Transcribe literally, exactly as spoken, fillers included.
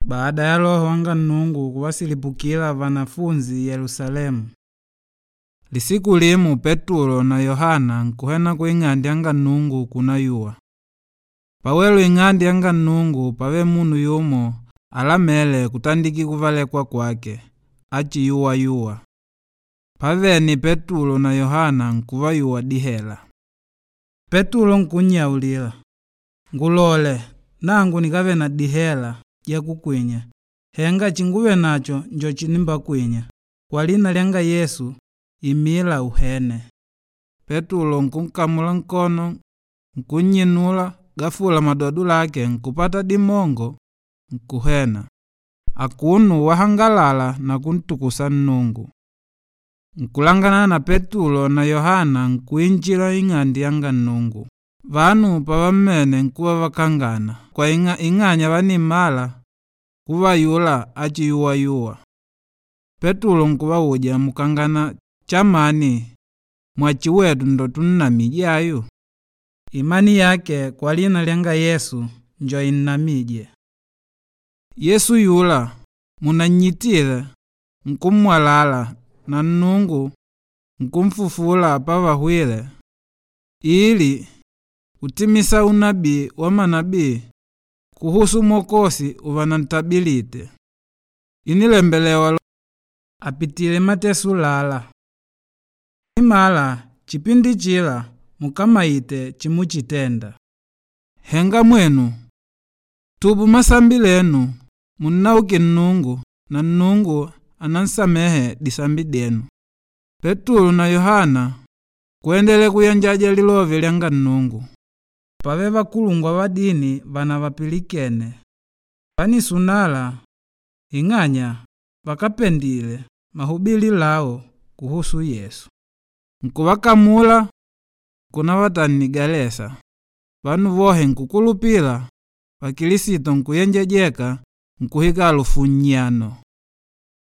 Baada ya Loho wanga Nnungu kuvasilipukila vanafunzi Yelusalemu. Lisiku limu Petulo na Yohana nkuhena ku ing'ande yanga Nnungu kunayuwa. Pawelu ing'ande yanga Nnungu pave munu yumo alamele kutandiki kuvalekwa kwake, achiyuwayuwa. Pavene Petulo na Yohana nkuvayuwa dihela. Petulo nkunnyaulila, ngulole nangu nikave na dihela jakukwinya henga chinguve nacho njo chinimbakwinya. Kwa lina lyanga Yesu imila uhene. Petulo nkunkamula nkono nkunnyinula gafula madodo lake nkupata dimongo nkuhena. Akunu wahangalala na kuntukusa Nnungu. Nkulangana na Petulo na Yohana nkuinjila ing'ande yanga Nnungu. Vanu pavammene nkuva vakangana kwa ing'a, ing'anya vanimala kuvayula achiyuwayuwa. Petulo nkuvauja mukangana chamani mwachi wetu ndo tunnamije ayu? Imani yake kwa lina lyanga Yesu njo innamije. Yesu yula munannyitile nkummwalala na Nnungu nkumfufula pavahwile ili kutimisa unabii wa manabii kuhusu Mwokozi uvanantabilite. Inilembelewa apitile mateso lala. Imala chipindi chila mukamaite chimuchitenda. Henga mwenu tubu masambi lenu munnauke Nnungu na Nnungu anansamehe disambi denu. Petulo na Yohana kuendele kuyanjaja lilove lyanga Nnungu. Pave vakulungwa va dini vana vapilikene. Vanisunala ing'anya vakapendile mahubili lao kuhusu Yesu. Nkuvakamula kunavatanigalesa. Vanu vohe nkukulupila vakilisito nkuyenjejeka nkuhika alufu nnyano.